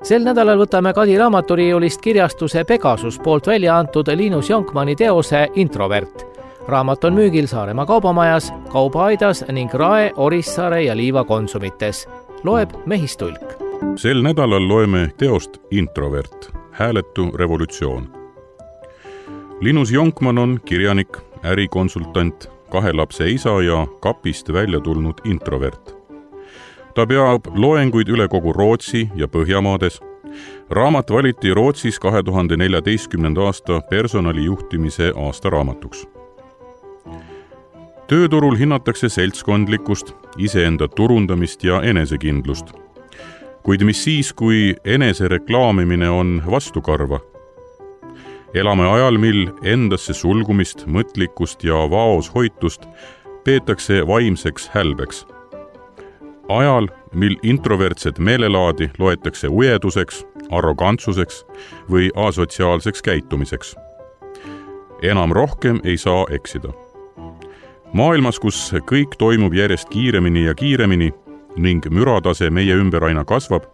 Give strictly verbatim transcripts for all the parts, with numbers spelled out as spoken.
Sel nädalal võtame Kadi raamaturiiulist kirjastuse Pegasus poolt välja antud Linus Jonkmanni teose Introvert. Raamat on müügil Saaremaa kaubamajas, Kaubaaidas ning Rae, Orissaare ja Liiva konsumites. Loeb Mehistulk. Sel nädalal loeme teost Introvert, hääletu revolutsioon. Linus Jonkmann on kirjanik, ärikonsultant, kahe lapse isa ja kapist välja tulnud introvert. Ta peab loenguid üle kogu Rootsi ja Põhjamaades. Raamat valiti Rootsis kahe tuhande neljateistkümnenda aasta personalijuhtimise aasta raamatuks. Tööturul hinnatakse seltskondlikkust, iseenda turundamist ja enesekindlust. Kuid mis siis, kui enese reklaamimine on vastukarva? Elame ajal, mil endasse sulgumist, mõtlikkust ja vaos hoitust peetakse vaimseks hälbeks. Ajal, mil introvertset meelelaadi loetakse ujeduseks, arrogantsuseks või asotsiaalseks käitumiseks. Enam rohkem ei saa eksida. Maailmas, kus kõik toimub järjest kiiremini ja kiiremini ning müratase meie ümber aina kasvab,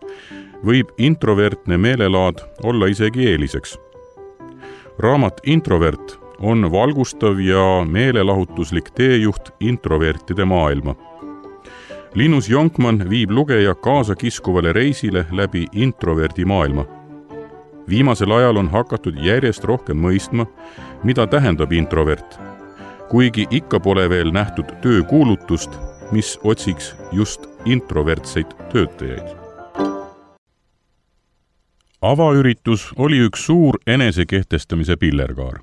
võib introvertne meelelaad olla isegi eeliseks. Raamat Introvert on valgustav ja meelelahutuslik teejuht introvertide maailma. Linus Jonkmann viib lugeja kaasa kiskuvale reisile läbi introverdi maailma. Viimasel ajal on hakatud järjest rohkem mõistma, mida tähendab introvert, kuigi ikka pole veel nähtud töökuulutust, mis otsiks just introvertseid töötajaid. Avaüritus oli üks suur enesekehtestamise pillerkaar.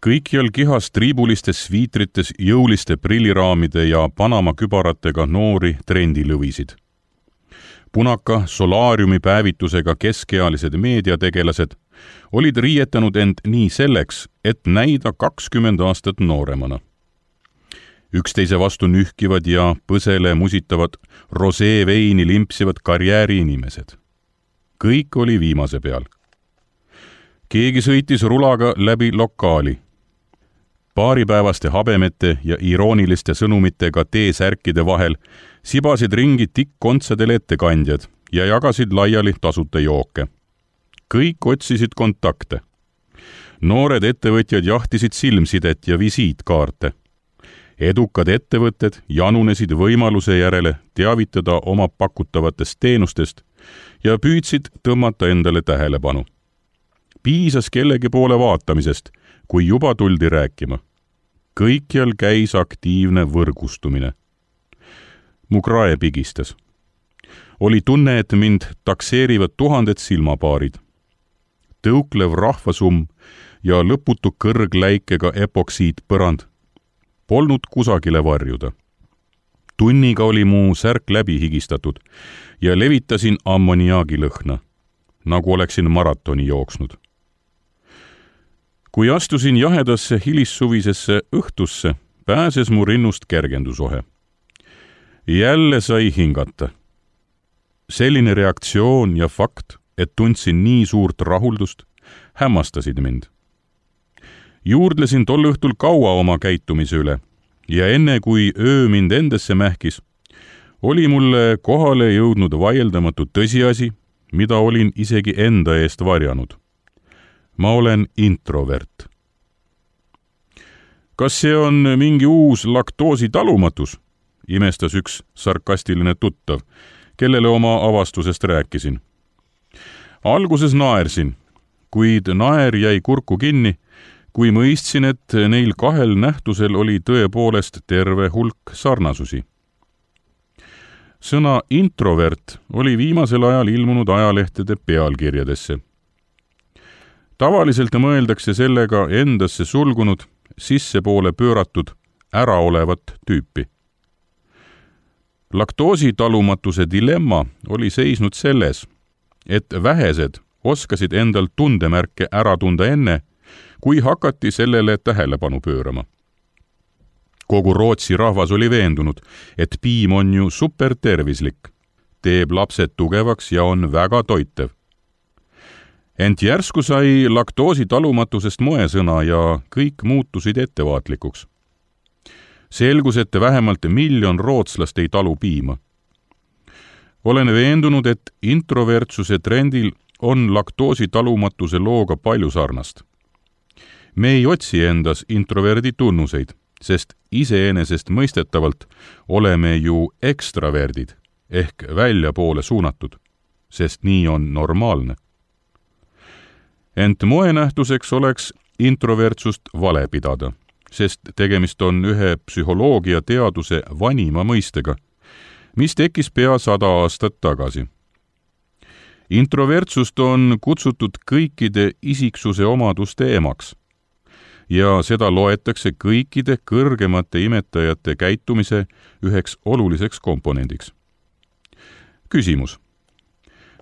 Kõikjal kihas triibulistes sviitrites, jõuliste prilliraamide ja Panama kübaratega noori trendilõvisid. Punaka solaariumi päevitusega keskealised meediategelased olid riietanud end nii selleks, et näida kakskümmend aastat nooremana. Üksteise vastu nühkivad ja põsele musitavad rosee veini limpsivad karjääriinimesed. Kõik oli viimase peal. Keegi sõitis rulaga läbi lokaali. Paaripäevaste habemete ja irooniliste sõnumitega teesärkide vahel sibasid ringi tikkontsadel ettekandjad ja jagasid laiali tasuta jooke. Kõik otsisid kontakte. Noored ettevõtjad jahtisid silmsidet ja visiitkaarte. Edukad ettevõtted janunesid võimaluse järele teavitada oma pakutavatest teenustest ja püüdsid tõmmata endale tähelepanu. Piisas kellegi poole vaatamisest, kui juba tuldi rääkima. Kõikjal käis aktiivne võrgustumine. Mu krae pigistas. Oli tunne, et mind takseerivad tuhanded silmapaarid. Tõuklev rahvasumm ja lõputu kõrgläikega epoksiid põrand polnud kusagile varjuda. Tunniga oli mu särk läbi higistatud ja levitasin ammoniaagilõhna, nagu oleksin maratoni jooksnud. Kui astusin jahedasse hilissuvisesse õhtusse, pääses mu rinnust kergendusohe. Jälle sai hingata. Selline reaktsioon ja fakt, et tundsin nii suurt rahuldust, hämmastasid mind. Juurdlesin tol õhtul kaua oma käitumise üle ja enne kui öö mind endesse mähkis, oli mulle kohale jõudnud vaieldamatu tõsiasi, mida olin isegi enda eest varjanud. Ma olen introvert. Kas see on mingi uus laktoositalumatus? Imestas üks sarkastiline tuttav, kellele oma avastusest rääkisin. Alguses naersin, kuid naer jäi kurku kinni, kui mõistsin, et neil kahel nähtusel oli tõepoolest terve hulk sarnasusi. Sõna introvert oli viimasel ajal ilmunud ajalehtede pealkirjadesse. Tavaliselt mõeldakse sellega endasse sulgunud, sissepoole pööratud, äraolevat tüüpi. Laktoositalumatuse dilemma oli seisnud selles, et vähesed oskasid endal tundemärke ära tunda enne, kui hakati sellele tähelepanu pöörama. Kogu Rootsi rahvas oli veendunud, et piim on ju supertervislik, teeb lapsed tugevaks ja on väga toitev. Ent järsku sai laktoositalumatusest moesõna ja kõik muutusid ettevaatlikuks. Selgus, et vähemalt miljon rootslast ei talu piima. olen veendunud, et introvertsuse trendil on laktoosi talumatuse looga palju sarnast. Me ei otsi endas introverdi tunnuseid, sest iseenesest mõistetavalt oleme ju ekstraverdid ehk väljapoole suunatud, sest nii on normaalne. Ent moenähtuseks oleks introvertsust vale pidada, sest tegemist on ühe psühholoogia teaduse vanima mõistega, mis tekkis pea sada aastat tagasi. Introvertsust on kutsutud kõikide isiksuse omaduste emaks ja seda loetakse kõikide kõrgemate imetajate käitumise üheks oluliseks komponendiks. Küsimus.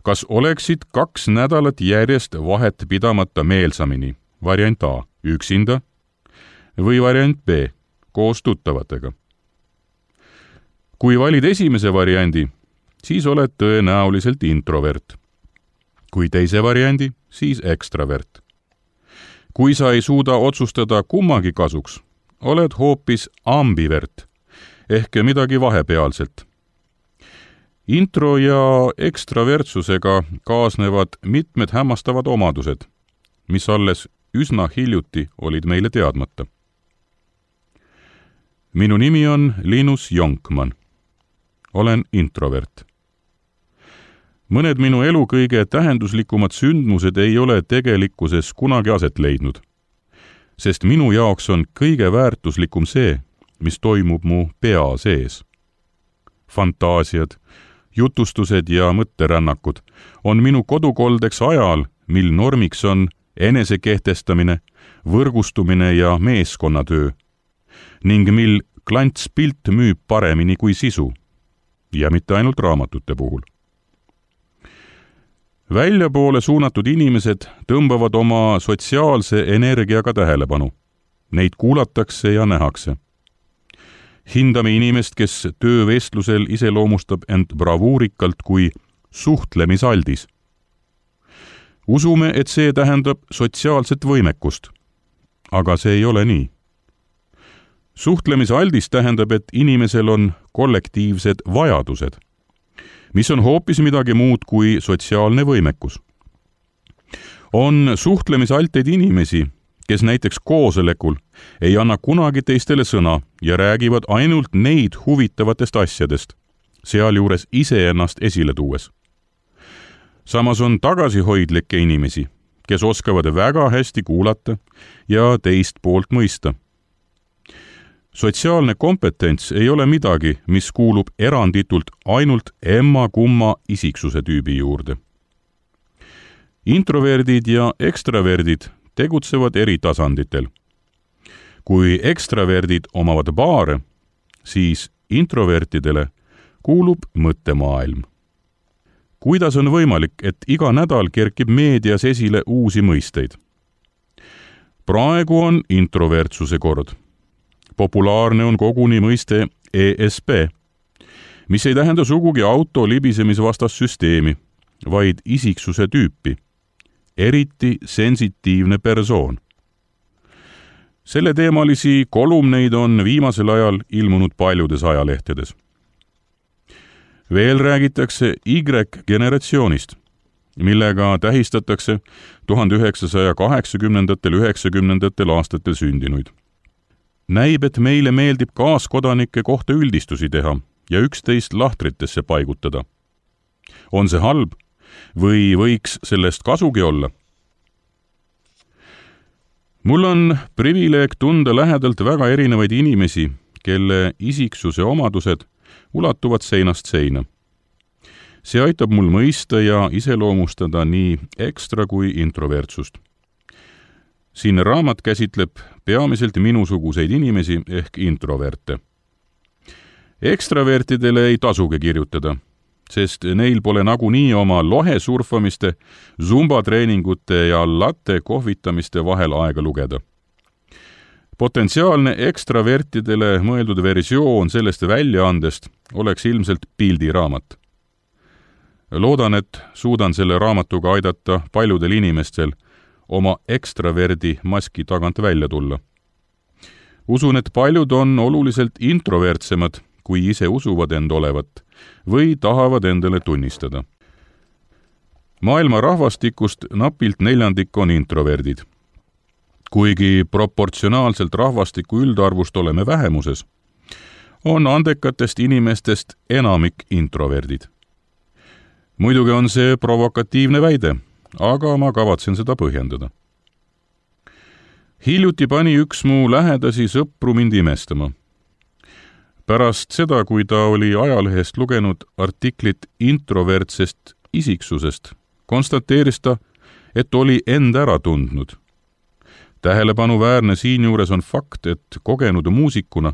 Kas oleksid kaks nädalat järjest vahet pidamata meelsamini, variant A, üksinda, või variant B, koos tuttavatega? Kui valid esimese variandi, siis oled tõenäoliselt introvert. Kui teise variandi, siis ekstravert. Kui sa ei suuda otsustada kummagi kasuks, oled hoopis ambivert ehk midagi vahepealselt. Intro- ja ekstravertsusega kaasnevad mitmed hämmastavad omadused, mis alles üsna hiljuti olid meile teadmata. Minu nimi on Linus Jonkman. Olen introvert. Mõned minu elu kõige tähenduslikumad sündmused ei ole tegelikkuses kunagi aset leidnud, sest minu jaoks on kõige väärtuslikum see, mis toimub mu pea sees. Fantaasiad, jutustused ja mõtterännakud on minu kodukoldeks ajal, mil normiks on enesekehtestamine, võrgustumine ja meeskonnatöö, ning mil klantspilt müüb paremini kui sisu, ja mitte ainult raamatute puhul. Väljapoole suunatud inimesed tõmbavad oma sotsiaalse energiaga tähelepanu. Neid kuulatakse ja nähakse. Hindame inimest, kes töövestlusel iseloomustab end bravuurikalt kui suhtlemisaldis. Usume, et see tähendab sotsiaalset võimekust, aga see ei ole nii. Suhtlemisaldis tähendab, et inimesel on kollektiivsed vajadused, mis on hoopis midagi muud kui sotsiaalne võimekus. On suhtlemisalteid inimesi, kes näiteks koosolekul ei anna kunagi teistele sõna ja räägivad ainult neid huvitavatest asjadest, sealjuures iseennast esile tuues. Samas on tagasihoidlikke inimesi, kes oskavad väga hästi kuulata ja teist poolt mõista. Sotsiaalne kompetents ei ole midagi, mis kuulub eranditult ainult emma-kumma isiksuse tüübi juurde. Introverdid ja ekstraverdid tegutsevad eri tasanditel. Kui ekstraverdid omavad baare, siis introvertidele kuulub mõttemaailm. Kuidas on võimalik, et iga nädal kerkib meedias esile uusi mõisteid? Praegu on introvertsuse kord. Populaarne on koguni mõiste E S P, mis ei tähenda sugugi auto libisemisvastassüsteemi, vaid isiksuse tüüpi, eriti sensitiivne persoon. Selle teemalisi kolumneid on viimasel ajal ilmunud paljudes ajalehtedes. Veel räägitakse Y-generatsioonist, millega tähistatakse tuhande üheksasaja kaheksakümnendatel üheksakümnendatel aastatel sündinuid. Näib, et meile meeldib kaaskodanike kohta üldistusi teha ja üksteist lahtritesse paigutada. On see halb või võiks sellest kasugi olla? Mul on privileeg tunda lähedalt väga erinevaid inimesi, kelle isiksuse omadused ulatuvad seinast seina. See aitab mul mõista ja iseloomustada nii ekstra kui introvertsust. Siin raamat käsitleb peamiselt minusuguseid inimesi ehk introverte. Ekstravertidele ei tasugi kirjutada, sest neil pole nagunii oma lohesurfamiste, zumbatreeningute ja latte kohvitamiste vahel aega lugeda. Potentsiaalne ekstravertidele mõeldud versioon sellest väljaandest oleks ilmselt pildiraamat. Loodan, et suudan selle raamatuga aidata paljudel inimestel oma ekstraverdi maski tagant välja tulla. Usun, et paljud on oluliselt introvertsemad, kui ise usuvad end olevat või tahavad endale tunnistada. Maailma rahvastikust napilt neljandik on introverdid. Kuigi proportsionaalselt rahvastiku üldarvust oleme vähemuses, on andekatest inimestest enamik introverdid. Muidugi on see provokatiivne väide, aga ma kavatsen seda põhjendada. Hiljuti pani üks mu lähedasi sõpru mind imestama. Pärast seda, kui ta oli ajalehest lugenud artiklit introvertsest isiksusest, konstateeris ta, et oli end ära tundnud. Tähelepanuväärne siinjuures on fakt, et kogenud muusikuna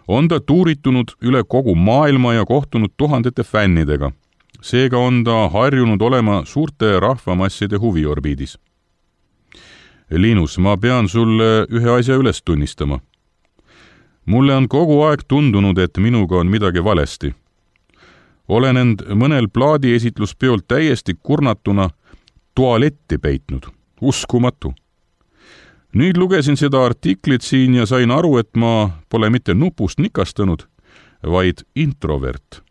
on ta tuuritunud üle kogu maailma ja kohtunud tuhandete fännidega. Seega on ta harjunud olema suurte rahvamasside huviorbiidis. Linus, ma pean sulle ühe asja üles tunnistama. Mulle on kogu aeg tundunud, et minuga on midagi valesti. Olen end mõnel plaadiesitluspeol täiesti kurnatuna tualetti peitnud. Uskumatu. Nüüd lugesin seda artiklit siin ja sain aru, et ma pole mitte nupust nikastanud, vaid introvert.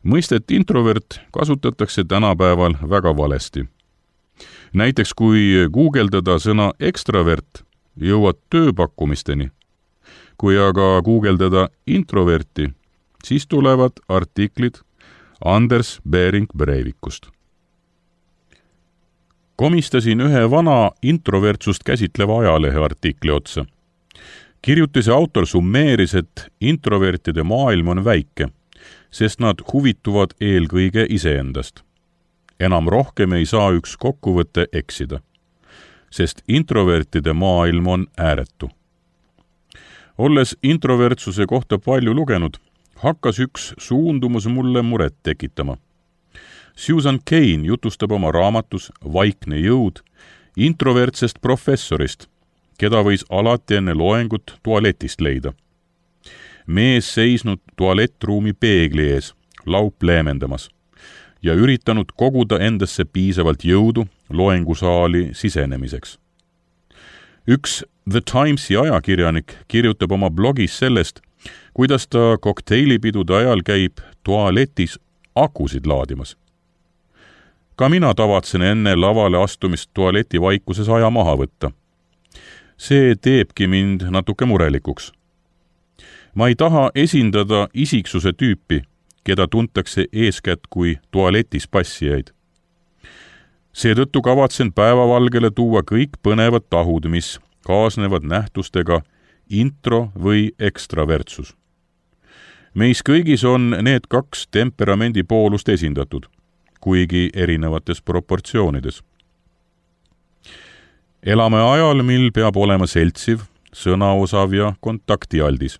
Mõistet introvert kasutatakse tänapäeval väga valesti. Näiteks kui guugeldada sõna ekstravert, jõuad tööpakkumisteni. Kui aga guugeldada introverti, siis tulevad artiklid Anders Bering Breivikust. Komistasin ühe vana introvertsust käsitleva ajalehe artikli otsa. Kirjutise autor summeeris, et introvertide maailm on väike, sest nad huvituvad eelkõige iseendast. Enam rohkem ei saa üks kokkuvõte eksida, sest introvertide maailm on ääretu. Olles introvertsuse kohta palju lugenud, hakkas üks suundumus mulle muret tekitama. Susan Cain jutustab oma raamatus Vaikne jõud introvertsest professorist, keda võis alati enne loengut tualetist leida. Mees seisnud tualettruumi peegli ees, laup leemendamas ja üritanud koguda endasse piisavalt jõudu loengusaali sisenemiseks. Üks The Timesi ajakirjanik kirjutab oma blogis sellest, kuidas ta kokteilipidude ajal käib tualetis akusid laadimas. Ka mina tavatsen enne lavale astumist tualeti vaikuses aja maha võtta. See teebki mind natuke murelikuks. Ma ei taha esindada isiksuse tüüpi, keda tuntakse eeskätt kui tualetis passijaid. Seetõttu kavatsen päevavalgele tuua kõik põnevad tahud, mis kaasnevad nähtustega intro- või ekstravertsus. Meis kõigis on need kaks temperamendi poolust esindatud, kuigi erinevates proportsioonides. Elame ajal, mil peab olema seltsiv, sõnaosav ja kontaktialdis.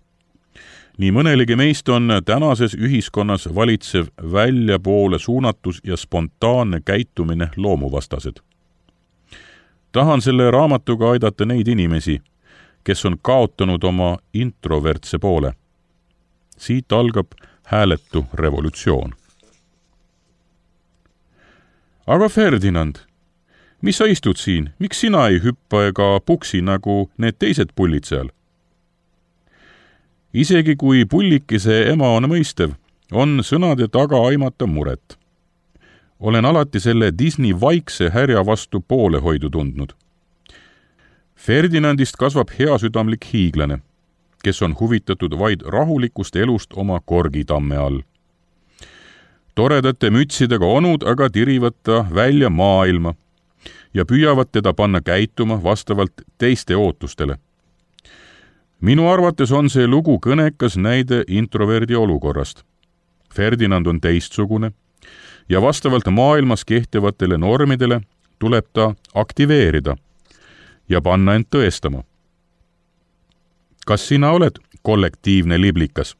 Nii mõnelegi meist on tänases ühiskonnas valitsev väljapoole suunatus ja spontaanne käitumine loomuvastased. Tahan selle raamatuga aidata neid inimesi, kes on kaotanud oma introvertse poole. Siit algab hääletu revolutsioon. Aga Ferdinand, mis sa istud siin? Miks sina ei hüppa ega puksi nagu need teised pullid seal? Isegi kui pullikise ema on mõistev, on sõnade taga aimata muret. Olen alati selle Disney vaikse härja vastu poolehoidu tundnud. Ferdinandist kasvab heasüdamlik hiiglane, kes on huvitatud vaid rahulikust elust oma korgitamme all. Toredate mütsidega onud aga tirivad ta välja maailma ja püüavad teda panna käituma vastavalt teiste ootustele. Minu arvates on see lugu kõnekas näide introverdi olukorrast. Ferdinand on teistsugune ja vastavalt maailmas kehtivatele normidele tuleb ta aktiveerida ja panna end tõestama. Kas sina oled kollektiivne liblikas?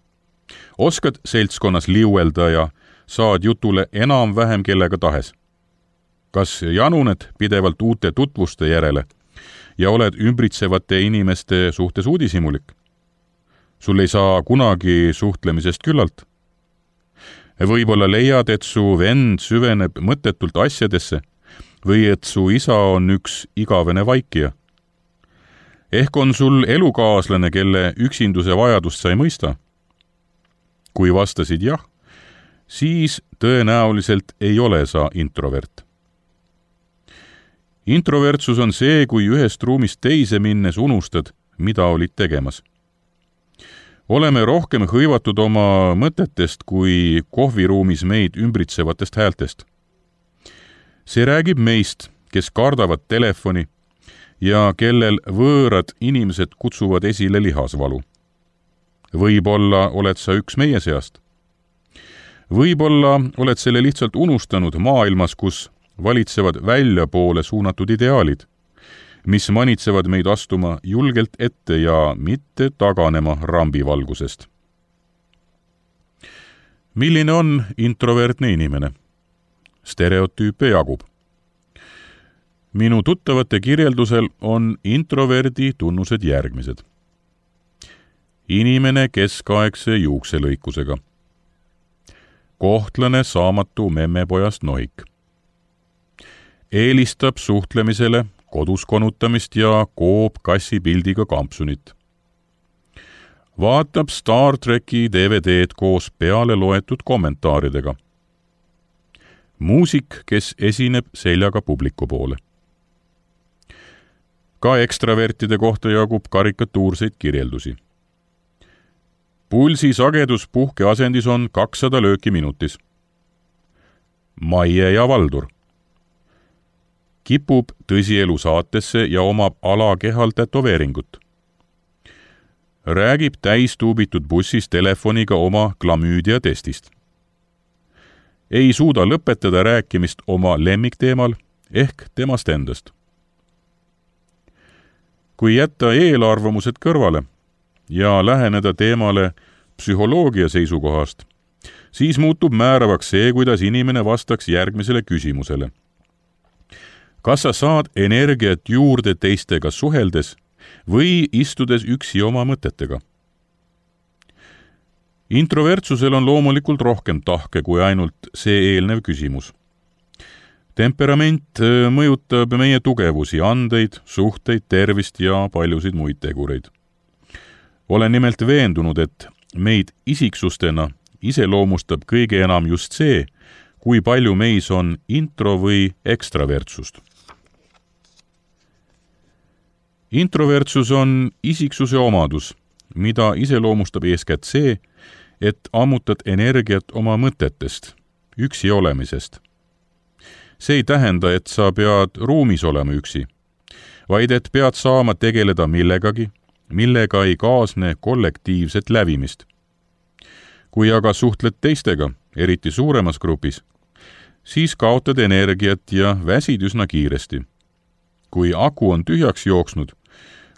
Oskad seltskonnas liuelda ja saad jutule enam-vähem kellega tahes? Kas januned pidevalt uute tutvuste järele ja oled ümbritsevate inimeste suhtes uudishimulik? Sul ei saa kunagi suhtlemisest küllalt. Võib-olla leiad, et su vend süveneb mõttetult asjadesse või et su isa on üks igavene vaikija. Ehk on sul elukaaslane, kelle üksinduse vajadust sa ei mõista kui vastasid jah, siis tõenäoliselt ei ole sa introvert. Introvertsus on see, kui ühest ruumist teise minnes unustad, mida olid tegemas. Oleme rohkem hõivatud oma mõtetest kui kohviruumis meid ümbritsevatest häältest. See räägib meist, kes kardavad telefoni ja kellel võõrad inimesed kutsuvad esile lihasvalu. Võib-olla oled sa üks meie seast. Võib-olla oled selle lihtsalt unustanud maailmas, kus valitsevad väljapoole suunatud ideaalid, mis manitsevad meid astuma julgelt ette ja mitte taganema rambivalgusest. Milline on introvertne inimene? Stereotüüpe jagub. Minu tuttavate kirjeldusel on introverdi tunnused järgmised. Inimene keskaegse juukselõikusega. Kohtlane saamatu memmepojast nohik. Eelistab suhtlemisele kodus konutamist ja koob kassi pildiga kampsunit. Vaatab Star Treki D V D-d koos peale loetud kommentaaridega. Muusik, kes esineb seljaga publiku poole. Ka ekstravertide kohta jagub karikatuurseid kirjeldusi. Pulsi sagedus puhkeasendis on kakssada lööki minutis. Maie ja Valdur. Kipub tõsielu saatesse ja omab alakehal tätoveeringut. Räägib täistuubitud bussis telefoniga oma klamüüdia testist. Ei suuda lõpetada rääkimist oma lemmikteemal ehk temast endast. Kui jätta eelarvamused kõrvale ja läheneda teemale psühholoogia seisukohast, siis muutub määravaks see, kuidas inimene vastaks järgmisele küsimusele. Kas sa saad energiat juurde teistega suheldes või istudes üksi oma mõtetega? Introvertsusel on loomulikult rohkem tahke kui ainult see eelnev küsimus. Temperament mõjutab meie tugevusi, andeid, suhteid, tervist ja paljusid muid tegureid. Olen nimelt veendunud, et meid isiksustena iseloomustab kõige enam just see, kui palju meis on intro- või ekstravertsust. Introvertsus on isiksuse omadus, mida iseloomustab eeskätt see, et ammutad energiat oma mõtetest, üksi olemisest. See ei tähenda, et sa pead ruumis olema üksi, vaid et pead saama tegeleda millegagi, millega ei kaasne kollektiivset lävimist. Kui aga suhtled teistega, eriti suuremas grupis, siis kaotad energiat ja väsid üsna kiiresti. Kui aku on tühjaks jooksnud,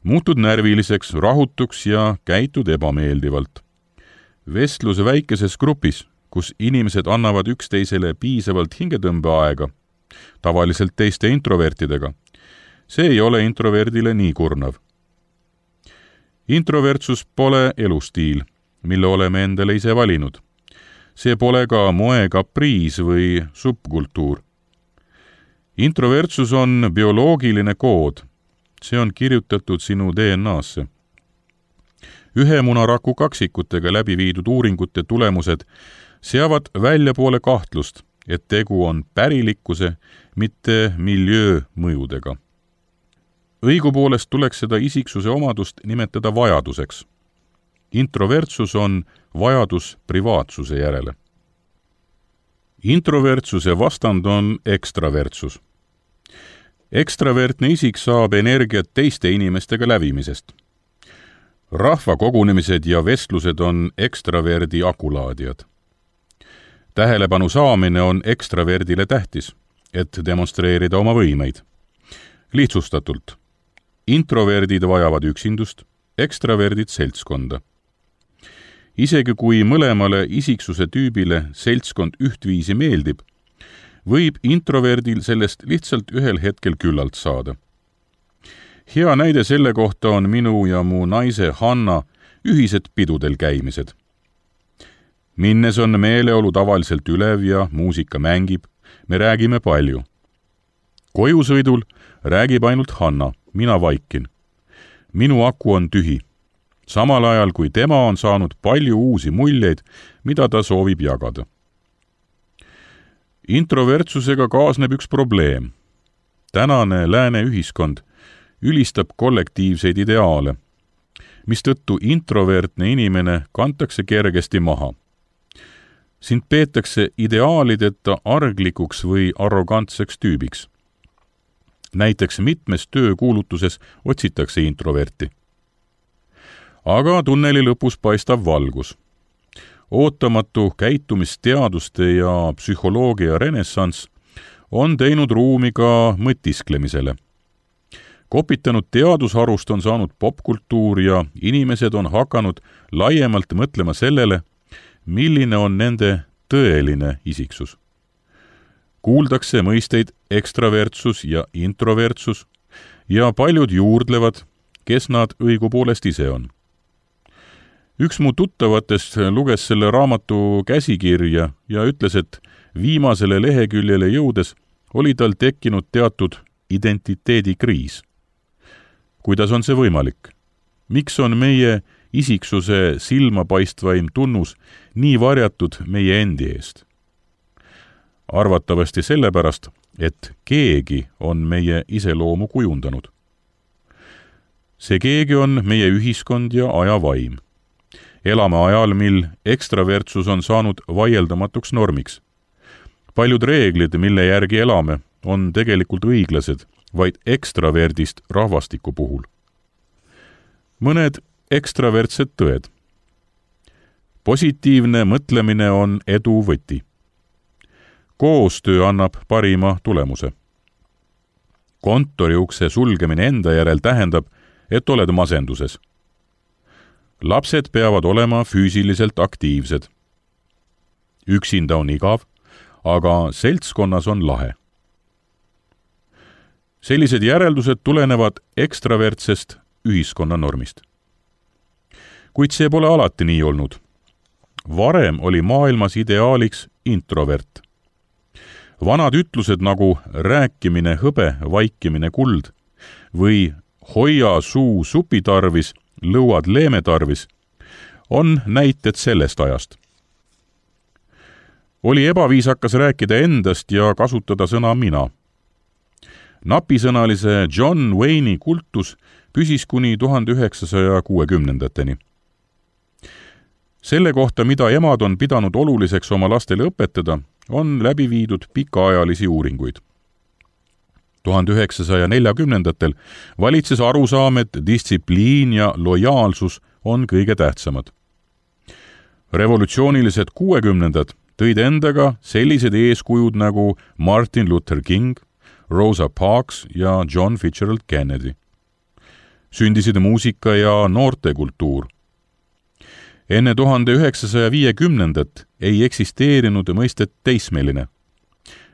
muutud närviliseks, rahutuks ja käitud ebameeldivalt. Vestlus väikeses grupis, kus inimesed annavad üksteisele piisavalt hingetõmbeaega, tavaliselt teiste introvertidega, see ei ole introverdile nii kurnav. Introvertsus pole elustiil, mille oleme endale ise valinud. See pole ka moekapriis või subkultuur. Introvertsus on bioloogiline kood. See on kirjutatud sinu D N A-sse. Ühe munaraku kaksikutega läbi viidud uuringute tulemused seavad väljapoole kahtlust, et tegu on pärilikkuse, mitte miljöö mõjudega. Õigupoolest tuleks seda isiksuse omadust nimetada vajaduseks. Introvertsus on vajadus privaatsuse järele. Introvertsuse vastand on ekstravertsus. Ekstravertne isik saab energiat teiste inimestega lävimisest. Rahvakogunemised ja vestlused on ekstraverdi akulaadijad. Tähelepanu saamine on ekstraverdile tähtis, et demonstreerida oma võimeid. Lihtsustatult. Introverdid vajavad üksindust, ekstraverdid seltskonda. Isegi kui mõlemale isiksuse tüübile seltskond ühtviisi meeldib, võib introverdil sellest lihtsalt ühel hetkel küllalt saada. Hea näide selle kohta on minu ja mu naise Hanna ühised pidudel käimised. Minnes on meeleolu tavaliselt ülev ja muusika mängib, me räägime palju. Kojusõidul räägib ainult Hanna, mina vaikin. Minu aku on tühi. samal ajal kui tema on saanud palju uusi muljeid, mida ta soovib jagada. Introvertsusega kaasneb üks probleem. Tänane lääne ühiskond ülistab kollektiivseid ideaale, mistõttu introvertne inimene kantakse kergesti maha. Sind peetakse ideaalideta arglikuks või arrogantseks tüübiks. Näiteks mitmes töökuulutuses otsitakse introverti. Aga tunneli lõpus paistab valgus. Ootamatu käitumisteaduste ja psühholoogia renessanss on teinud ruumi ka mõtisklemisele. Kopitanud teadusharust on saanud popkultuur ja inimesed on hakanud laiemalt mõtlema sellele, milline on nende tõeline isiksus. Kuuldakse mõisteid ekstravertsus ja introvertsus ja paljud juurdlevad, kes nad õigupoolest ise on. Üks mu tuttavatest luges selle raamatu käsikirja ja ütles, et viimasele leheküljele jõudes oli tal tekkinud teatud identiteedikriis. Kuidas on see võimalik? Miks on meie isiksuse silmapaistvaim tunnus nii varjatud meie endi eest? Arvatavasti sellepärast, et keegi on meie iseloomu kujundanud. See keegi on meie ühiskond ja ajavaim. Elame ajal, mil ekstravertsus on saanud vaieldamatuks normiks. Paljud reeglid, mille järgi elame, on tegelikult õiglased, vaid ekstraverdist rahvastiku puhul. Mõned ekstravertsed tõed. Positiivne mõtlemine on edu võti. Koostöö annab parima tulemuse. Kontoriukse sulgemine enda järel tähendab, et oled masenduses. Lapsed peavad olema füüsiliselt aktiivsed. Üksinda on igav, aga seltskonnas on lahe. Sellised järeldused tulenevad ekstravertsest ühiskonnanormist. Kuid see pole alati nii olnud. Varem oli maailmas ideaaliks introvert. Vanad ütlused nagu rääkimine hõbe, vaikimine kuld või hoia suu supitarvis, lõuad leemetarvis on näited sellest ajast. Oli ebaviisakas rääkida endast ja kasutada sõna mina. Napisõnalise John Wayne'i kultus püsis kuni tuhande üheksasaja kuuekümnendateni. Selle kohta, mida emad on pidanud oluliseks oma lastele õpetada, on läbi viidud pikaajalisi uuringuid. tuhande üheksasaja neljakümnendatel valitses arusaam, et distsipliin ja lojaalsus on kõige tähtsamad. Revolutsioonilised kuuekümnendad tõid endaga sellised eeskujud nagu Martin Luther King, Rosa Parks ja John Fitzgerald Kennedy. Sündisid muusika ja noortekultuur. Enne tuhande üheksasaja viiekümnendat ei eksisteerinud mõistet teismeline.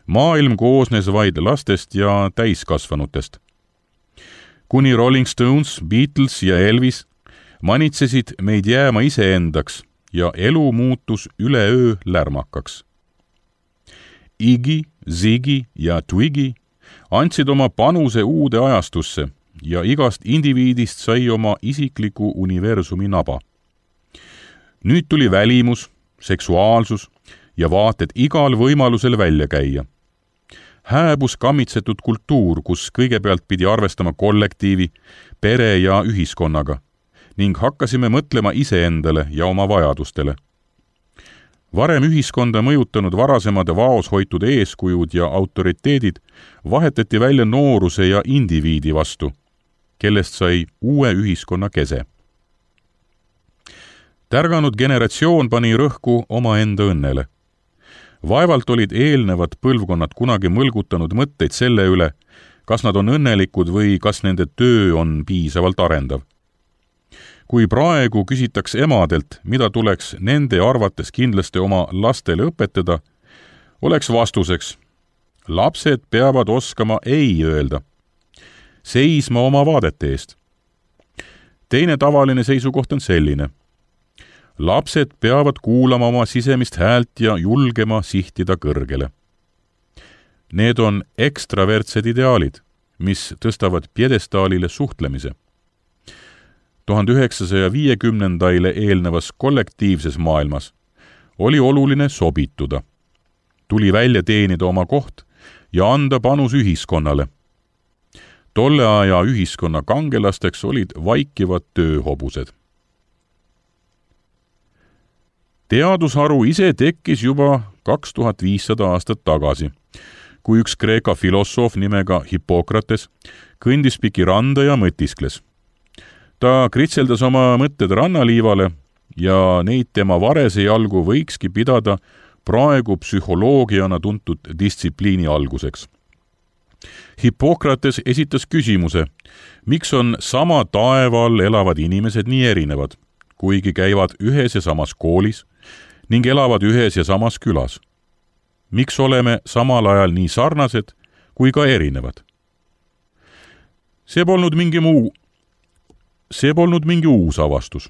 Maailm koosnes vaid lastest ja täiskasvanutest. Kuni Rolling Stones, Beatles ja Elvis manitsesid meid jääma iseendaks ja elu muutus üleöö lärmakaks. Iggy, Ziggy ja Twiggy andsid oma panuse uude ajastusse ja igast indiviidist sai oma isikliku universumi naba. Nüüd tuli välimus, seksuaalsus ja vaated igal võimalusel välja käia. Hääbus kammitsetud kultuur, kus kõigepealt pidi arvestama kollektiivi, pere ja ühiskonnaga ning hakkasime mõtlema iseendale ja oma vajadustele. Varem ühiskonda mõjutanud varasemad vaos hoitud eeskujud ja autoriteedid vahetati välja nooruse ja indiviidi vastu, kellest sai uue ühiskonna kese. Tärganud generatsioon pani rõhku oma enda õnnele. Vaevalt olid eelnevad põlvkonnad kunagi mõlgutanud mõtteid selle üle, kas nad on õnnelikud või kas nende töö on piisavalt arendav. Kui praegu küsitaks emadelt, mida tuleks nende arvates kindlasti oma lastele õpetada, oleks vastuseks: lapsed peavad oskama ei öelda, seisma oma vaadete eest. Teine tavaline seisukoht on selline: lapsed peavad kuulama oma sisemist häält ja julgema sihtida kõrgele. Need on ekstravertsed ideaalid, mis tõstavad pjedestaalile suhtlemise. tuhande üheksasaja viiekümnendaile eelnevas kollektiivses maailmas oli oluline sobituda. Tuli välja teenida oma koht ja anda panus ühiskonnale. Tolle aja ühiskonna kangelasteks olid vaikivad tööhobused. Teadusharu ise tekkis juba kaks tuhat viissada aastat tagasi, kui üks Kreeka filosoof nimega Hippokrates kõndis piki randa ja mõtiskles. Ta kritseldas oma mõtted rannaliivale ja neid tema varese jalgu võikski pidada praegu psühholoogiana tuntud distsipliini alguseks. Hippokrates esitas küsimuse, miks on sama taeva all elavad inimesed nii erinevad, kuigi käivad ühes ja samas koolis ning elavad ühes ja samas külas. Miks oleme samal ajal nii sarnased kui ka erinevad? See polnud mingi muu, see polnud mingi uus avastus.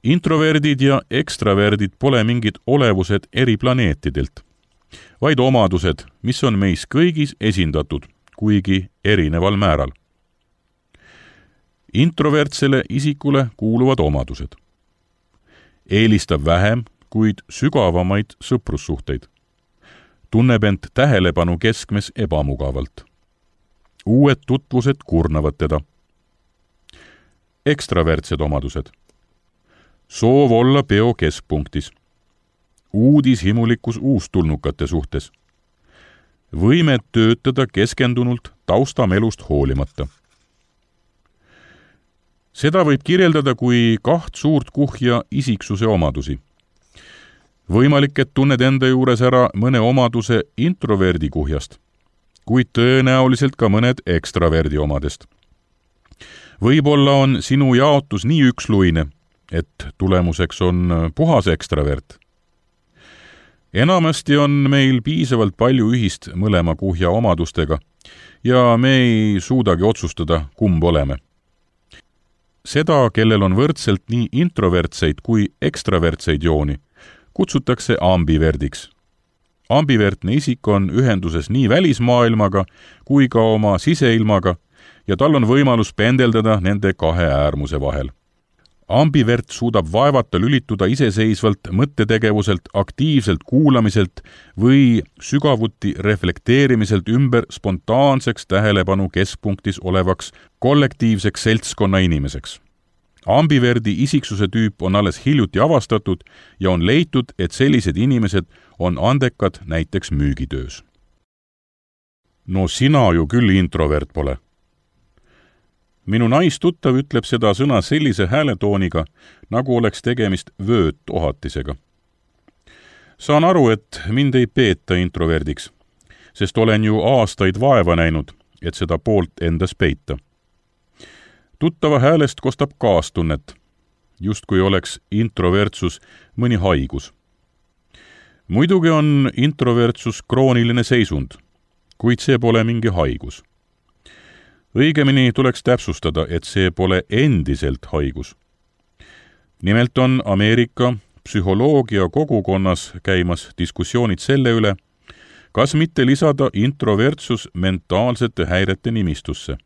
Introverdid ja ekstraverdid pole mingid olevused eri planeetidelt, vaid omadused, mis on meis kõigis esindatud, kuigi erineval määral. Introvertsele isikule kuuluvad omadused. Eelistab vähem, kuid sügavamaid sõprussuhteid. Tunneb end tähelepanu keskmes ebamugavalt. Uued tutvused kurnavad teda. Ekstravertsed omadused. Soov olla peo keskpunktis. Uudishimulikkus uustulnukate suhtes. Võimed töötada keskendunult taustamelust hoolimata. Seda võib kirjeldada kui kaht suurt kuhja isiksuse omadusi. Võimalik, et tunned enda juures ära mõne omaduse introverdi kuhjast, kuid tõenäoliselt ka mõned ekstraverdi omadest. Võib-olla on sinu jaotus nii üksluine, et tulemuseks on puhas ekstravert. Enamasti on meil piisavalt palju ühist mõlema kuhja omadustega ja me ei suudagi otsustada, kumb oleme. Seda, kellel on võrdselt nii introvertseid kui ekstravertseid jooni, kutsutakse ambiverdiks. Ambivertne isik on ühenduses nii välismaailmaga kui ka oma siseilmaga ja tal on võimalus pendeldada nende kahe äärmuse vahel. Ambivert suudab vaevata lülituda iseseisvalt mõttetegevuselt, aktiivselt kuulamiselt või sügavuti reflekteerimiselt ümber spontaanseks tähelepanu keskpunktis olevaks kollektiivseks seltskonna inimeseks. Ambiverdi isiksuse tüüp on alles hiljuti avastatud ja on leitud, et sellised inimesed on andekad näiteks müügitöös. No sina ju küll introvert pole. Minu naistuttav ütleb seda sõna sellise hääletooniga, nagu oleks tegemist vöötohatisega. Saan aru, et mind ei peeta introverdiks, sest olen ju aastaid vaeva näinud, et seda poolt endas peita. Tuttava häälest kostab kaastunnet, just kui oleks introvertsus mõni haigus. Muidugi on introvertsus krooniline seisund, kuid see pole mingi haigus. Õigemini tuleks täpsustada, et see pole endiselt haigus. Nimelt on Ameerika psühholoogia kogukonnas käimas diskussioonid selle üle, kas mitte lisada introvertsus mentaalsete häirete nimistusse.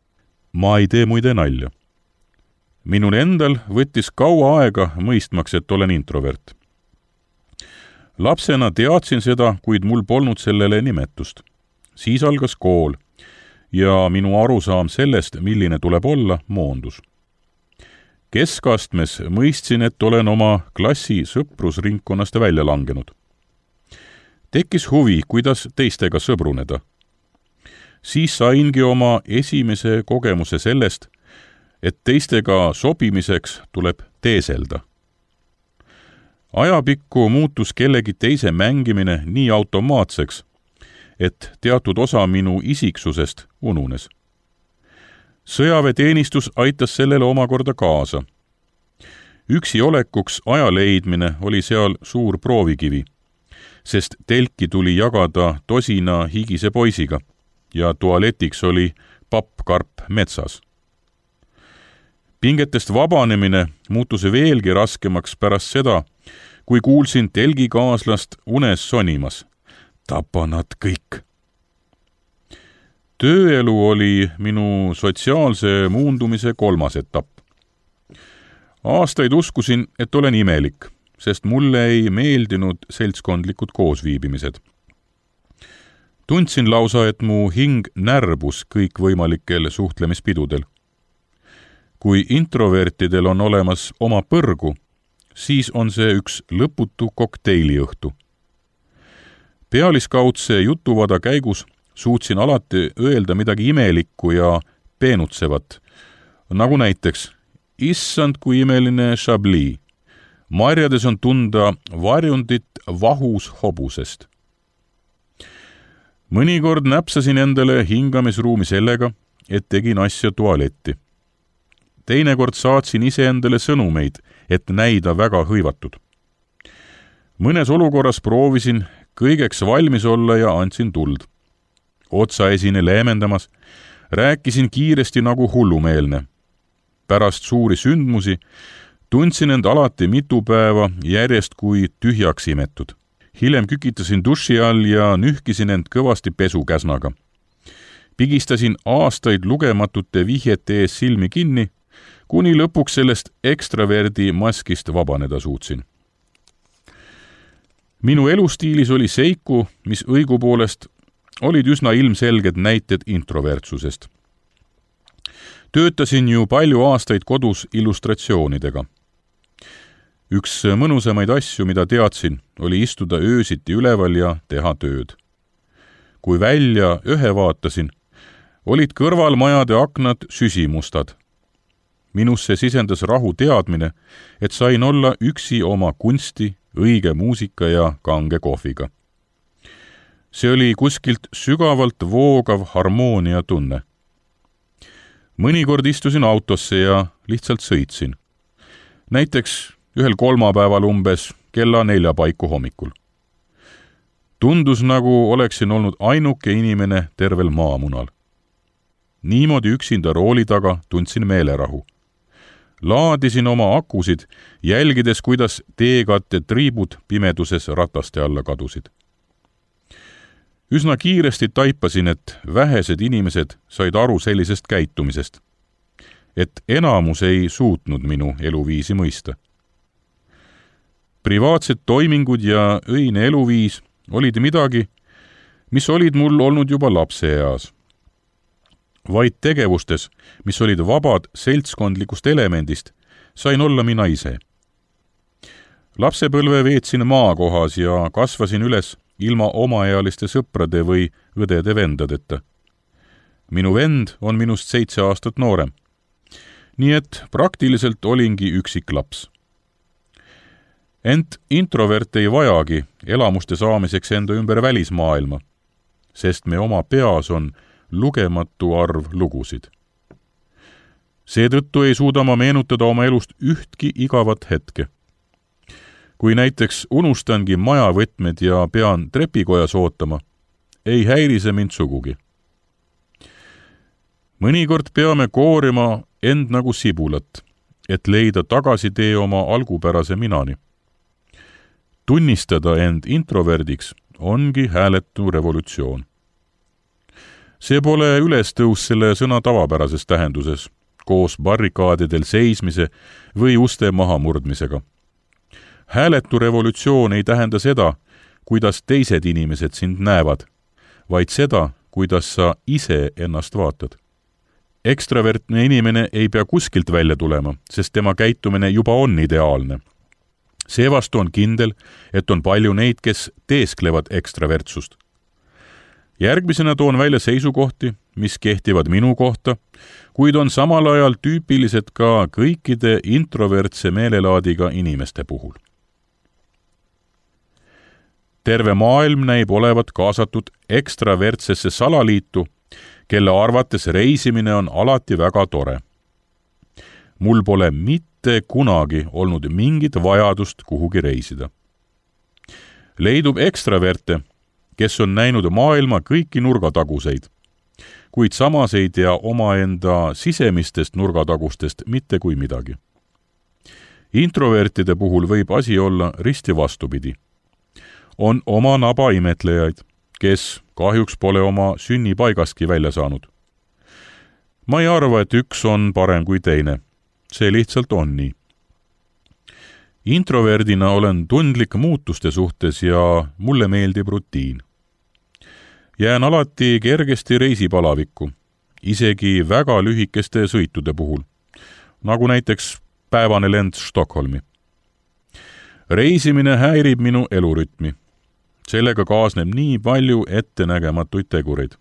Ma ei tee muide nalja. Minul endal võttis kaua aega mõistmaks, et olen introvert. Lapsena teadsin seda, kuid mul polnud sellele nimetust. Siis algas kool ja minu arusaam sellest, milline tuleb olla, moondus. Keskastmes mõistsin, et olen oma klassi sõprusringkonnast välja langenud. Tekkis huvi, kuidas teistega sõbruneda. Siis saingi oma esimese kogemuse sellest, et teistega sobimiseks tuleb teeselda. Ajapikku muutus kellegi teise mängimine nii automaatseks, et teatud osa minu isiksusest ununes. Sõjaväeteenistus aitas sellele omakorda kaasa. Üksi olekuks aja leidmine oli seal suur proovikivi, sest telki tuli jagada tosina higise poisiga ja tualetiks oli pappkarp metsas. Pingetest vabanemine muutus veelgi raskemaks pärast seda, kui kuulsin telgikaaslast unes sonimas. Tapa nad kõik. Tööelu oli minu sotsiaalse muundumise kolmas etapp. Aastaid uskusin, et olen imelik, sest mulle ei meeldinud seltskondlikud koosviibimised. Tundsin lausa, et mu hing närbus kõikvõimalikel suhtlemispidudel. Kui introvertidel on olemas oma põrgu, siis on see üks lõputu kokteiliõhtu. Pealiskaudse jutuvada käigus suutsin alati öelda midagi imelikku ja peenutsevat, nagu näiteks issand kui imeline Chablis. Marjades on tunda varjundit vahus hobusest. Mõnikord näpsasin endale hingamisruumi sellega, et tegin asja tualetti. Teinekord saatsin ise endale sõnumeid, et näida väga hõivatud. Mõnes olukorras proovisin kõigeks valmis olla ja andsin tuld. Otsaesine leemendamas, rääkisin kiiresti nagu hullumeelne. Pärast suuri sündmusi tundsin end alati mitu päeva järjest kui tühjaks imetud. Hiljem kükitasin duši all ja nühkisin end kõvasti pesukäsnaga. Pigistasin aastaid lugematute vihjete ees silmi kinni, kuni lõpuks sellest ekstraverdi maskist vabaneda suutsin. Minu elustiilis oli seiku, mis õigupoolest olid üsna ilmselged näited introvertsusest. Töötasin ju palju aastaid kodus illustratsioonidega. Üks mõnusamaid asju, mida teadsin, oli istuda öösiti üleval ja teha tööd. Kui välja ühe vaatasin, olid kõrval majade aknad süsimustad. Minusse sisendas rahu teadmine, et sain olla üksi oma kunsti, õige muusika ja kange kohviga. See oli kuskilt sügavalt voogav harmoonia tunne. Mõnikord istusin autosse ja lihtsalt sõitsin. Näiteks ühel kolmapäeval umbes kella nelja paiku hommikul. Tundus nagu oleksin olnud ainuke inimene tervel maamunal. Niimoodi üksinda rooli taga tundsin meelerahu. Laadisin oma akusid, jälgides, kuidas teekatte triibud pimeduses rataste alla kadusid. Üsna kiiresti taipasin, et vähesed inimesed said aru sellisest käitumisest, et enamus ei suutnud minu eluviisi mõista. Privaatsed toimingud ja öine eluviis olid midagi, mis olid mul olnud juba lapseeas. Vaid tegevustes, mis olid vabad seltskondlikust elemendist, sain olla mina ise. Lapsepõlve veetsin maakohas ja kasvasin üles ilma omaealiste sõprade või õdede-vendadeta. Minu vend on minust seitse aastat noorem. Nii et praktiliselt olingi üksik laps. Ent introvert ei vajagi elamuste saamiseks enda ümber välismaailma, sest me oma peas on lugematu arv lugusid. Seetõttu ei suuda ma meenutada oma elust ühtki igavat hetke. Kui näiteks unustangi majavõtmed ja pean trepikojas ootama, ei häiri see mind sugugi. Mõnikord peame koorima end nagu sibulat, et leida tagasitee oma algupärase minani. Tunnistada end introverdiks ongi hääletu revolutsioon. See pole ülestõus selle sõna tavapärases tähenduses, koos barrikaadidel seismise või uste mahamurdmisega. Hääletu revolutsioon ei tähenda seda, kuidas teised inimesed sind näevad, vaid seda, kuidas sa ise ennast vaatad. Ekstravertne inimene ei pea kuskilt välja tulema, sest tema käitumine juba on ideaalne. Seevastu on kindel, et on palju neid, kes teesklevad ekstravertsust. Järgmisena toon välja seisukohti, mis kehtivad minu kohta, kuid on samal ajal tüüpilised ka kõikide introvertse meelelaadiga inimeste puhul. Terve maailm näib olevat kaasatud ekstravertsesse salaliitu, kelle arvates reisimine on alati väga tore. Mul pole mitte kunagi olnud mingit vajadust kuhugi reisida. Leidub ekstraverte, kes on näinud maailma kõiki nurgataguseid, kuid samas ei tea omaenda sisemistest nurgatagustest mitte kui midagi. Introvertide puhul võib asi olla risti vastupidi. On oma naba imetlejaid, kes kahjuks pole oma sünnipaigastki välja saanud. Ma ei arva, et üks on parem kui teine. See lihtsalt on nii. Introverdina olen tundlik muutuste suhtes ja mulle meeldib rutiin. Jään alati kergesti reisipalavikku, isegi väga lühikeste sõitude puhul, nagu näiteks päevane lend Stockholmi. Reisimine häirib minu elurütmi. Sellega kaasneb nii palju ettenägematuid tegureid.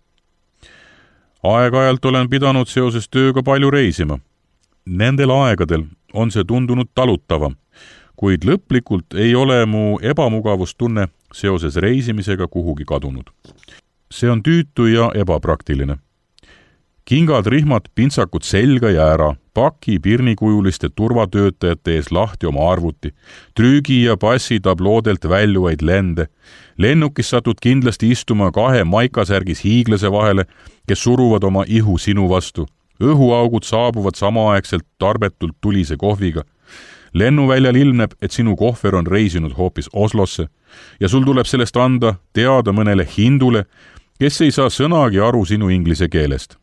Aeg-ajalt olen pidanud seoses tööga palju reisima. Nendel aegadel on see tundunud talutavam, kuid lõplikult ei ole mu ebamugavustunne seoses reisimisega kuhugi kadunud. See on tüütu ja ebapraktiline. Kingad, rihmad, pintsakud selga ja ära, paki pirnikujuliste turvatöötajate ees lahti oma arvuti, trüügi ja passi tabloodelt väljuvaid lende, lennukis satud kindlasti istuma kahe maikasärgis hiiglase vahele, kes suruvad oma ihu sinu vastu, õhuaugud saabuvad samaaegselt tarbetult tulise kohviga, lennuväljal ilmneb, et sinu kohver on reisinud hoopis Oslosse ja sul tuleb sellest anda teada mõnele hindule, kes ei saa sõnagi aru sinu inglise keelest.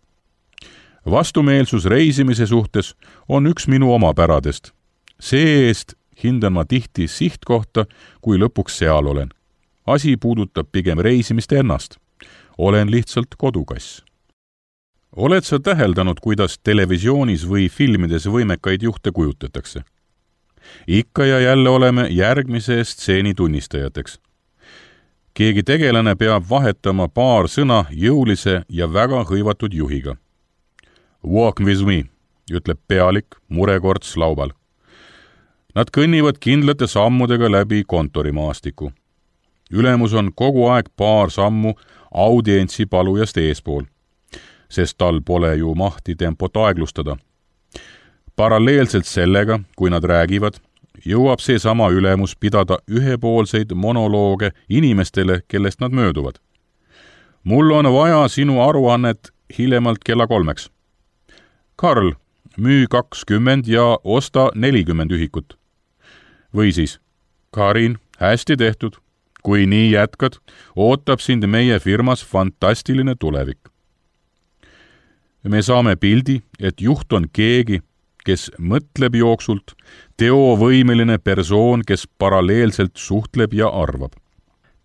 Vastumeelsus reisimise suhtes on üks minu omapäradest. See-eest hindan ma tihti sihtkohta, kui lõpuks seal olen. Asi puudutab pigem reisimist ennast. Olen lihtsalt kodukass. Oled sa täheldanud, kuidas televisioonis või filmides võimekaid juhte kujutatakse? Ikka ja jälle oleme järgmise stseeni tunnistajateks. Keegi tegelane peab vahetama paar sõna jõulise ja väga hõivatud juhiga. Walk with me, ütleb pealik murekorts laubal. Nad kõnnivad kindlate sammudega läbi kontorimaastiku. Ülemus on kogu aeg paar sammu audientsi palujast eespool, sest tal pole ju mahti tempot aeglustada. Paralleelselt sellega, kui nad räägivad, jõuab see sama ülemus pidada ühepoolseid monolooge inimestele, kellest nad mööduvad. Mul on vaja sinu aruannet hiljemalt kella kolmeks. Karl, müü kakskümmend ja osta nelikümmend ühikut. Või siis, Karin, hästi tehtud. Kui nii jätkad, ootab sind meie firmas fantastiline tulevik. Me saame pildi, et juht on keegi, kes mõtleb jooksult, teovõimeline persoon, kes paralleelselt suhtleb ja arvab.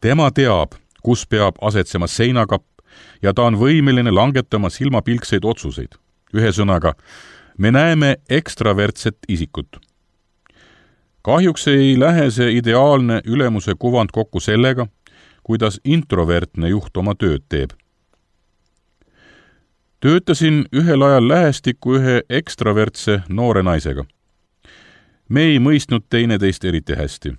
Tema teab, kus peab asetsema seinakapp ja ta on võimeline langetama silmapilkseid otsuseid. Ühesõnaga, me näeme ekstravertset isikut. Kahjuks ei lähe see ideaalne ülemuse kuvand kokku sellega, kuidas introvertne juht oma tööd teeb. Töötasin ühel ajal lähestikku ühe ekstravertse noore naisega. Me ei mõistnud teineteist eriti hästi.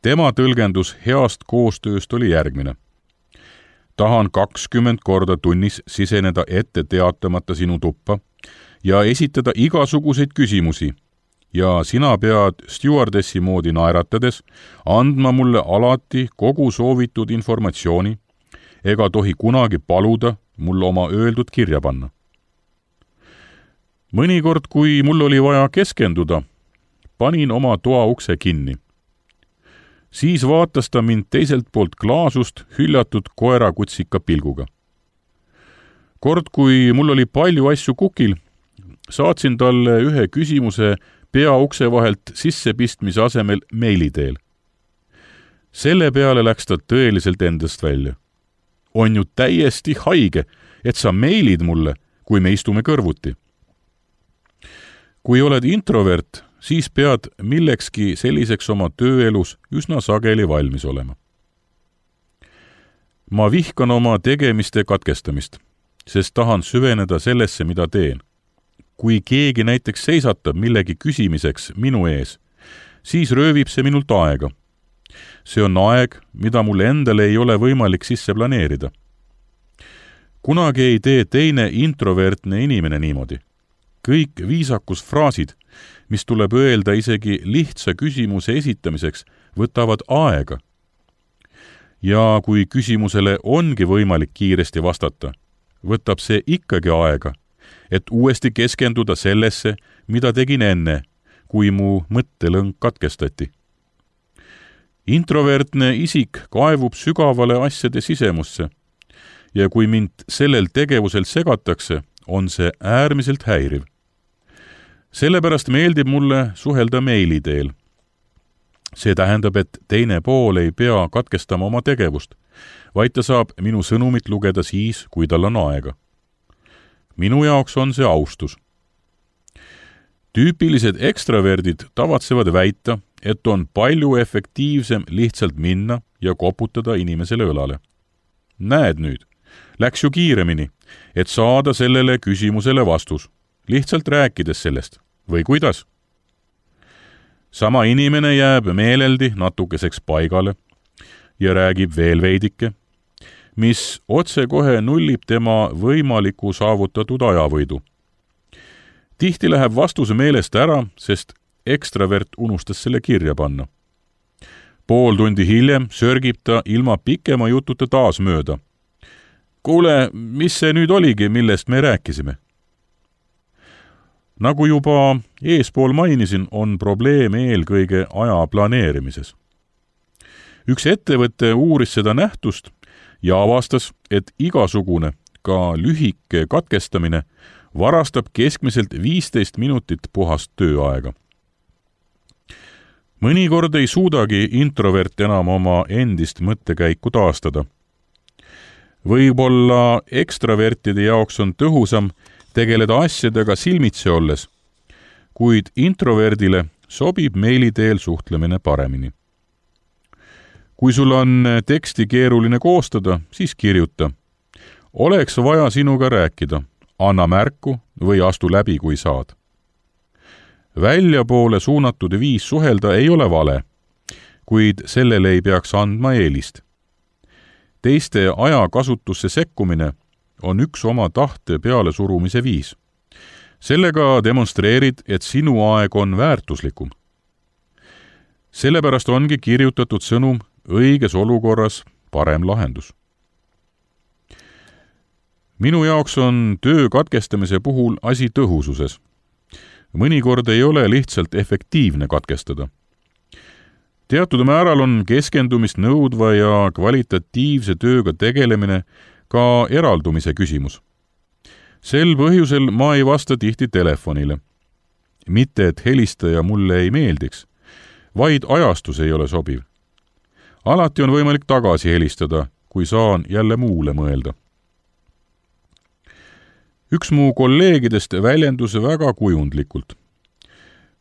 Tema tõlgendus heast koostööst oli järgmine. Tahan kakskümmend korda tunnis siseneda ette teatamata sinu tuppa ja esitada igasuguseid küsimusi ja sina pead stewardessi moodi naeratades andma mulle alati kogu soovitud informatsiooni ega tohi kunagi paluda mul oma öeldud kirja panna. Mõnikord, kui mul oli vaja keskenduda, panin oma toa ukse kinni. Siis vaatas ta mind teiselt poolt klaasust hüljatud koerakutsika pilguga. Kord, kui mul oli palju asju kukil, saatsin talle ühe küsimuse pea ukse vahelt sissepistmise asemel meili teel. Selle peale läks ta tõeliselt endast välja. On ju täiesti haige, et sa meilid mulle, kui me istume kõrvuti. Kui oled introvert, siis pead millekski selliseks oma tööelus üsna sageli valmis olema. Ma vihkan oma tegemiste katkestamist, sest tahan süveneda sellesse, mida teen. Kui keegi näiteks seisatab millegi küsimiseks minu ees, siis röövib see minult aega. See on aeg, mida mul endale ei ole võimalik sisse planeerida. Kunagi ei tee teine introvertne inimene niimoodi. Kõik viisakusfraasid, mis tuleb öelda isegi lihtsa küsimuse esitamiseks, võtavad aega. Ja kui küsimusele ongi võimalik kiiresti vastata, võtab see ikkagi aega, et uuesti keskenduda sellesse, mida tegin enne, kui mu mõttelõng katkestati. Introvertne isik kaevub sügavale asjade sisemusse ja kui mind sellel tegevusel segatakse, on see äärmiselt häiriv. Sellepärast meeldib mulle suhelda meili teel. See tähendab, et teine pool ei pea katkestama oma tegevust, vaid ta saab minu sõnumit lugeda siis, kui tal on aega. Minu jaoks on see austus. Tüüpilised ekstraverdid tavatsevad väita, et on palju efektiivsem lihtsalt minna ja koputada inimesele õlale. Näed nüüd, läks ju kiiremini, et saada sellele küsimusele vastus, lihtsalt rääkides sellest. Või kuidas? Sama inimene jääb meeleldi natukeseks paigale ja räägib veel veidike, mis otsekohe nullib tema võimaliku saavutatud ajavõidu. Tihti läheb vastuse meelest ära, sest ekstravert unustas selle kirja panna. Pool tundi hiljem sörgib ta ilma pikema jututa taas mööda. Kuule, mis see nüüd oligi, millest me rääkisime? Nagu juba eespool mainisin, on probleem eelkõige aja planeerimises. Üks ettevõte uuris seda nähtust ja avastas, et igasugune, ka lühike katkestamine varastab keskmiselt viisteist minutit puhast tööaega. Mõnikord ei suudagi introvert enam oma endist mõttekäiku taastada. Võib-olla ekstravertide jaoks on tõhusam tegeleda asjadega silmitsi olles, kuid introverdile sobib meili teel suhtlemine paremini. Kui sul on teksti keeruline koostada, siis kirjuta. Oleks vaja sinuga rääkida, anna märku või astu läbi, kui saad. Väljapoole suunatud viis suhelda ei ole vale, kuid sellele ei peaks andma eelist. Teiste ajakasutusse sekkumine on üks oma tahte peale surumise viis. Sellega demonstreerid, et sinu aeg on väärtuslikum. Sellepärast ongi kirjutatud sõnum õiges olukorras parem lahendus. Minu jaoks on töö katkestamise puhul asi tõhususes. Mõnikord ei ole lihtsalt efektiivne katkestada. Teatud määral on keskendumist nõudva ja kvalitatiivse tööga tegelemine ka eraldumise küsimus. Sel põhjusel ma ei vasta tihti telefonile. Mitte, et helistaja mulle ei meeldiks, vaid ajastus ei ole sobiv. Alati on võimalik tagasi helistada, kui saan jälle muule mõelda. Üks mu kolleegidest väljendus väga kujundlikult.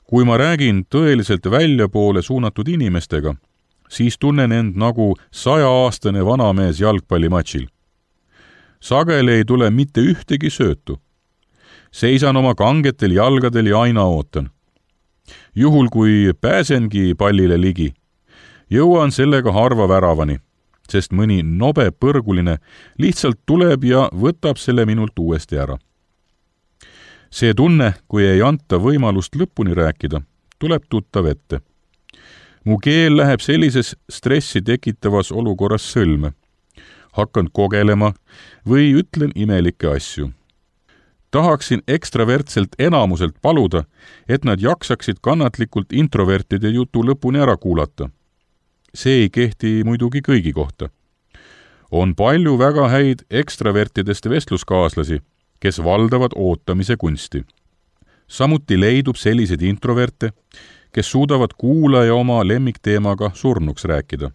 Kui ma räägin tõeliselt väljapoole suunatud inimestega, siis tunnen end nagu sajaaastane vanamees jalgpallimatšil. Sageli ei tule mitte ühtegi söötu. Seisan oma kangetel jalgadel ja aina ootan. Juhul, kui pääsengi pallile ligi, jõuan sellega harva väravani, sest mõni nobe põrguline lihtsalt tuleb ja võtab selle minult uuesti ära. See tunne, kui ei anta võimalust lõpuni rääkida, tuleb tuttav ette. Mu keel läheb sellises stressi tekitavas olukorras sõlme. Hakkan kogelema või ütlen imelikke asju. Tahaksin ekstravertselt enamuselt paluda, et nad jaksaksid kannatlikult introvertide jutu lõpuni ära kuulata. See ei kehti muidugi kõigi kohta. On palju väga häid ekstravertidest vestluskaaslasi, kes valdavad ootamise kunsti. Samuti leidub selliseid introverte, kes suudavad kuulaja oma lemmikteemaga surnuks rääkida.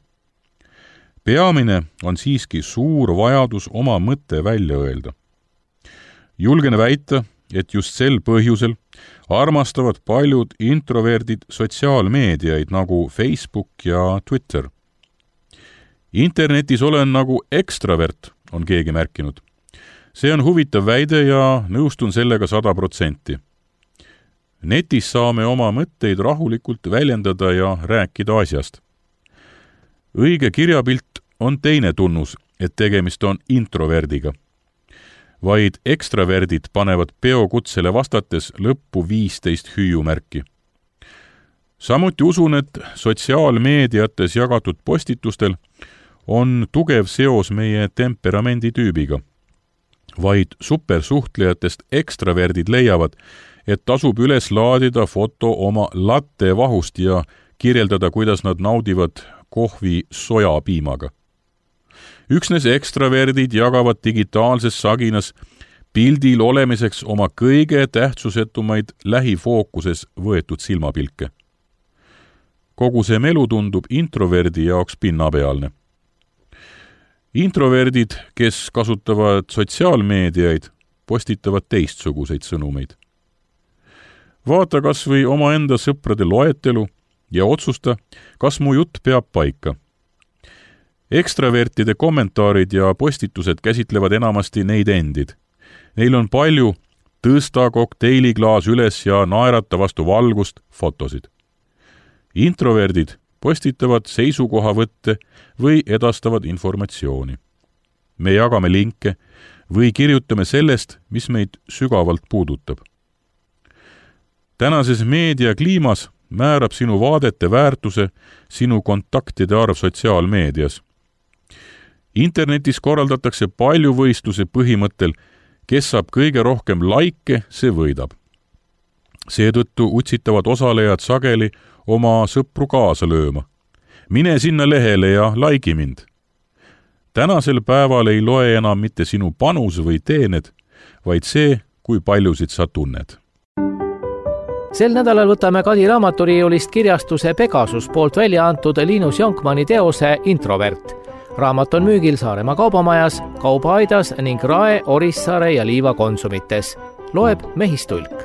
Peamine on siiski suur vajadus oma mõtte välja öelda. Julgen väita, et just sel põhjusel armastavad paljud introverdid sotsiaalmeediaid nagu Facebook ja Twitter. Internetis olen nagu ekstravert, on keegi märkinud. See on huvitav väide ja nõustun sellega sada protsenti. Netis saame oma mõtteid rahulikult väljendada ja rääkida asjast. Õige kirjapilt on teine tunnus, et tegemist on introverdiga. Vaid ekstraverdid panevad peokutsele vastates lõppu viisteist hüüumärki. Samuti usun, et sotsiaalmeediates jagatud postitustel on tugev seos meie temperamenditüübiga. Vaid supersuhtlejatest ekstraverdid leiavad, et tasub üles laadida foto oma latte vahust ja kirjeldada, kuidas nad naudivad kohvi sojapiimaga. Üksnes ekstraverdid jagavad digitaalses saginas pildil olemiseks oma kõige tähtsusetumaid lähifookuses võetud silmapilke. kogu see melu tundub introverdi jaoks pinnapealne. Introverdid, kes kasutavad sotsiaalmeediaid, postitavad teistsuguseid sõnumeid. Vaata kas või omaenda sõprade loetelu ja otsusta, kas mu jutt peab paika. Ekstravertide kommentaarid ja postitused käsitlevad enamasti neid endid. Neil on palju tõsta kokteiliklaas üles ja naerata vastu valgust fotosid. Introverdid postitavad seisukohavõtte või edastavad informatsiooni. Me jagame linke või kirjutame sellest, mis meid sügavalt puudutab. Tänases meediakliimas määrab sinu vaadete väärtuse sinu kontaktide arv sotsiaalmeedias. Internetis korraldatakse palju võistluse põhimõttel, kes saab kõige rohkem laike, see võidab. Seetõttu utsitavad osalejad sageli oma sõpru kaasa lööma. Mine sinna lehele ja laigi mind. Tänasel päeval ei loe enam mitte sinu panus või teened, vaid see, kui paljusid sa tunned. Sel nädalal võtame Kadi raamaturiiulist kirjastuse Pegasus poolt välja antud Linus Jonkmanni teose Introvert. Raamat on müügil Saaremaa kaubamajas, Kaubaaidas ning Rae, Orissaare ja Liiva konsumites. Loeb Mehistulk.